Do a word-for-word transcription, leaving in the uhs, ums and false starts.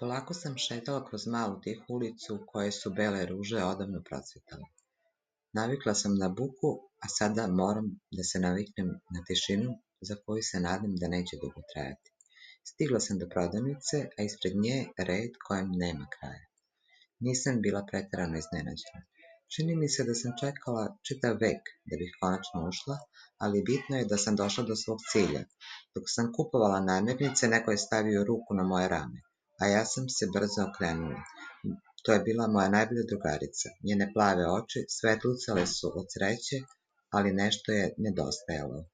Polako sam šetala kroz malu tihu ulicu u kojoj su bele ruže odavno procvetale. Navikla sam na buku, a sada moram da se naviknem na tišinu za koju se nadam da neće dugo trajati. Stigla sam do prodavnice, a ispred nje red kojem nema kraja. Nisam bila preterano iznenađena. Čini mi se da sam čekala čitav vek da bih konačno ušla, ali bitno je da sam došla do svog cilja. Dok sam kupovala namirnice, neko je stavio ruku na moje rame, a ja sam se brzo okrenula. To je bila moja najbolja drugarica. Njene plave oči svetlucale su od sreće, ali nešto je nedostajalo.